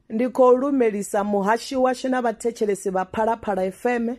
Ndi khou lumelisa muhashi washu na vhathetshelesi vha Phalaphala FM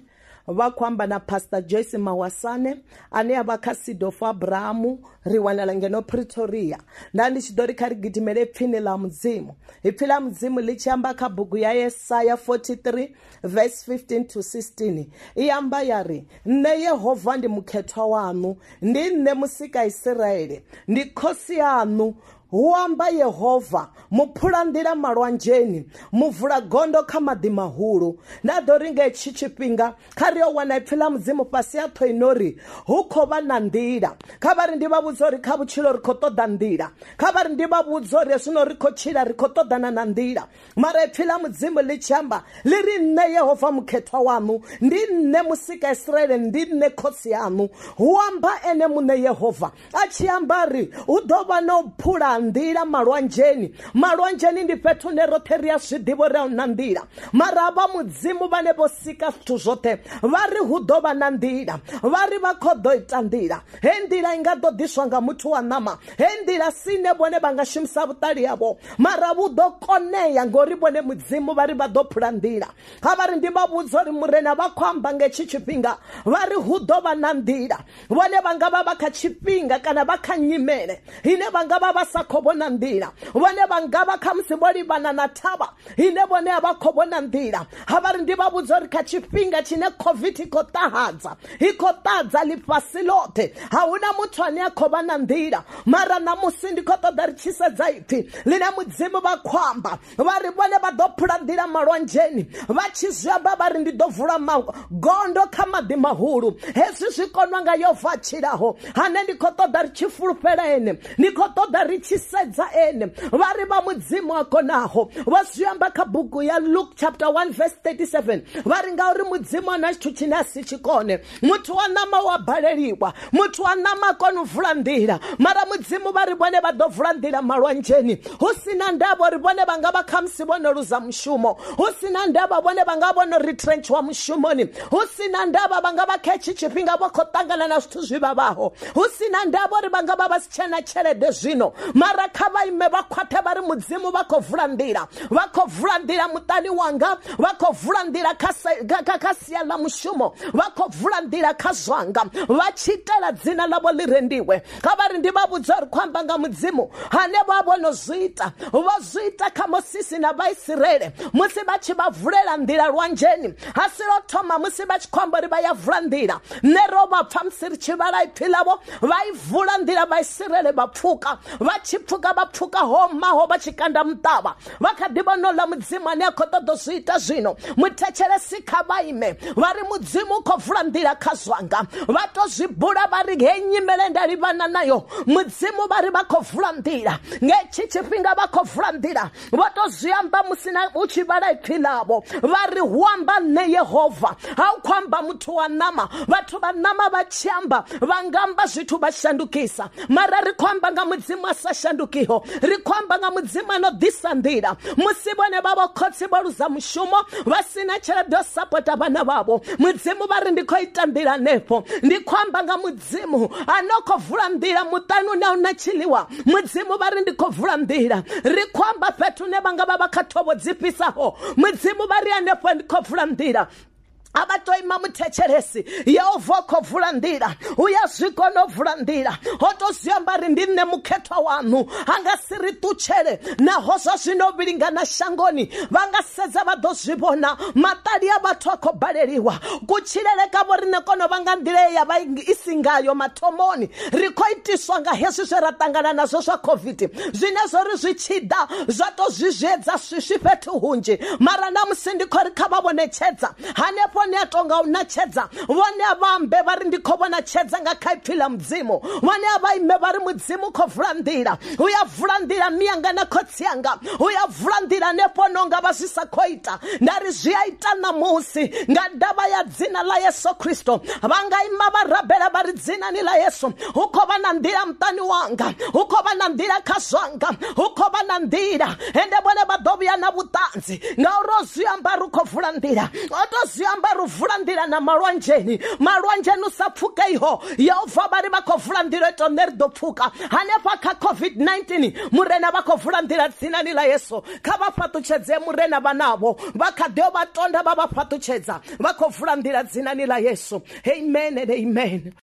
vha khou amba na Pastor Joyce Mawasane ane a vha kha Seed of Abraham, ri wanala ngeno Pretoria. Nda ndi tshi ḓo ri kha ri gidimele pfini ḽa Mudzimu. Ipfi ḽa Mudzimu ḽi tshi amba kha bugu ya Yesaya 43 verse 15 to 16 i amba ya ri, Nṋe Yehova ndi mukhethwa waṋu, ndi nṋe musika Isiraele, ndi khosi yaṋu, hu amba Yehova, muphulanḓila malwanzheni, muvula gondo kha maḓi mahulu. Nda ḓo ri nga hetshi tshifhinga kha ri yo wana ipfi ḽa Mudzimu fhasi ha ṱho ino ri hu khou vha na nḓila. Kha vha ri ndi vha vhudza uri kha vhutshilo ri khou ṱoḓa nḓila. Kha vha ri ndi vha vhudza uri zwino ri khou tshila ri khou ṱoḓana na nḓila. Mara ipfi ḽa Mudzimu ḽi tshi amba ḽi ri nṋe Yehova mukhethwa waṋu, ndi nṋe musika Israele, ndi nṋe khotsi yaṋu. Hu amba ene muṋe Yehova a tshi amba ri hu ḓo vha na u phula nḓila malwanzheni. Malwanzheni ndi fhethu hune roṱhe ri a zwi ḓivha uri a hu na nḓila, mara vha Mudzimu vhane vho sika zwithu zwoṱhe vha ri hu ḓo vha na nḓila, vha ri vha khou ḓo ita nḓila. Hei nḓila i nga ḓo ḓiswa nga muthu wa ṋama, hei nḓila sine vhone vha nga shumisa vhuṱali havho, mara vhu ḓo konea ngori vhone Mudzimu vha ri vha ḓo phula nḓila. Kha vha ri ndi vha vhudza uri Murena vha khou amba nga hetshi tshifhinga vha ri hu ḓo vha na nḓila. Vhone vha nga vha vha kha tshifhinga kana vha kha nyimele ine vha nga vha vha sa khou vhona nḓila. Vhone vha nga vha khamusi vho livhana na thavha ine vhone a vha khou vhona nḓila. Ha vha ri ndi vha vhudza uri kha tshifhinga tshine COVID i khou ṱahadza, i khou ṱahadza ḽifhasi ḽoṱhe, a hu na muthu ane a khou vha na nḓila. Mara ṋamusi ndi khou ṱoḓa ri tshi sedza ipfi ḽine Mudzimu vha khou amba, vha ri vhone vha ḓo phula nḓila malwanzheni. Vha tshi zwi amba vha ri ndi ḓo vula magondo kha maḓi mahulu. Hezwi zwi konwa nga Yehova a tshilaho, ane ndi khou ṱoḓa ri tshi fulufhela ene, ndi khou ṱoḓa ri tshi sedza ene. Vha ri vha Mudzimu a konaho. Vho zwi amba kha bugu ya Luke chapter 1 verse 37, vha ri ngauri Mudzimu a na tshithu tshine a si tshi kone. Muthu wa ṋama wa baleliwa, muthu wa ṋama a kona u vula nḓila, mara Mudzimu vha ri vhone vha ḓo vula nḓila malwanzheni. Hu si na ndavha uri vhone vha nga vha khamusi vho no luza mushumo, hu si na ndavha vhone vha nga vho no retrenchiwa mushumoni, hu si na ndavha vha nga vha kha hetshi tshifhinga vho khou ṱangana na zwithu zwi vhavhaho, hu si na ndavha uri vha nga vha vha si tshena tshelede zwino, mara kha vha ime vha khwaṱhe vha ri Mudzimu vha khou vula nḓila, vha khou vula nḓila muṱani wanga, vha khou vula nḓila kha sia ḽa mushumo, vha khou vula nḓila kha zwanga, vha tshi itela dzina ḽavho ḽi rendiwe. Kha vha ri ndi vha vhudza uri khou amba nga Mudzimu hane vha vho no zwi ita. Vho zwi ita kha Mosisi na Vhaisiraele musi vha tshi vha vulela nḓila lwanzheni. Ha si lwo thoma musi vha tshi khou amba uri vha ya vula nḓila. Nṋe ro vha pfa musi ri tshi vhala ipfi ḽavho, vha i vula nḓila Vhaisiraele vha pfuka. Vha tshi pfuka vha pfuka ho maho vha tshi kanda muṱavha. Vha kha ḓi vhona uḽa Mudzimu ane a khou ṱoḓa u zwi ita zwino. Muthetshelesi kha vha ime vha ri Mudzimu u khou vula nḓila kha zwanga. Vha to zwi bula vha ri hei nyimele nda livhana nayo, Mudzimu vha ri vha khou vula nḓila. Nga hetshi tshifhinga vha khou vula nḓila. Vho to zwi amba musi na u tshi vhala ipfi ḽavho vha ri hu amba nṋe Yehova, ha u khou amba muthu wa ṋama. Vhathu vha ṋama vha tshi amba vha nga amba zwithu vha shandukisa, mara ri khou amba nga Mudzimu a sa shandukiho, ri khou amba nga Mudzimu a no ḓisa nḓila. Musi vhone vha vho khotsi vho luza mushumo vha si na tshelede yo sapota vhana vhavho, Mudzimu vha ri ndi khou ita nḓila hanefho. Ndi khou amba nga Mudzimu a no khou vula nḓila muṱani une a hu na tshiḽiwa, Mudzimu vha ri ndi khou vula nḓila. Ri khou amba fhethu hune vha nga vha vha kha thovho dzi fhisaho, Mudzimu vha ri hanefho ndi khou vula nḓila. A vha to ima muthetshelesi, Yehova u khou vula nḓila, u ya zwi kona u vula nḓila. Ho to zwi amba ri ndi nṋe mukhethwa waṋu, a nga si ri ṱutshele. Naho zwa zwino vhilingana shangoni, vha nga sedza vha ḓo zwi vhona, maṱali a vhathu a khou baleliwa. Kutshilele kavho riṋe kono vha nga nḓila ye ya vha i si ngayo mathomoni. Ri khou itiswa nga hezwi zwe ra ṱangana nazwo zwa COVID, zwine zwo ri zwi tshi ḓa zwa to zwizwiedza swiswi fhethu hunzhi. Mara ṋamusi ndi khou ri kha vha vhone tshedza hanefho ni a tonga u na tshedza. Vhone a vha ambe vha ri ndi khou vhona tshedza nga kha ipfi ḽa Mudzimu. Vhone a vha ime vha ri Mudzimu khou vula nḓila, u ya vula nḓila miyanga na khotsi anga, u ya vula nḓila hanefho no nga vha zwi sa khou ita. Nda ri zwi a ita ṋamusi nga ndavha ya dzina ḽa Yesu Kristo. Vha nga ima vha rabela vha ri dzinani ḽa Yesu hu khou vha na nḓila muṱani wanga, hu khou vha na nḓila kha zwanga, hu khou vha na nḓila. Ende vhone vha ḓo vhuya na vhuṱanzi ngauri o zwi amba ri khou vula nḓila, o to zwi amba vha ri vula nḓila na malwanzheni, malwanzheni u sa pfukeiho. Yehova vha ri vha khou vula nḓila ito nṋe ri ḓo pfuka. Hanefha kha COVID-19 Murena vha khou vula nḓila dzinani ḽa Yesu. Kha vha fhaṱutshedze Murena vhanavho vha kha ḓo vha tonda vha vha fhaṱutshedza, vha khou vula nḓila dzinani ḽa Yesu. Amen and amen.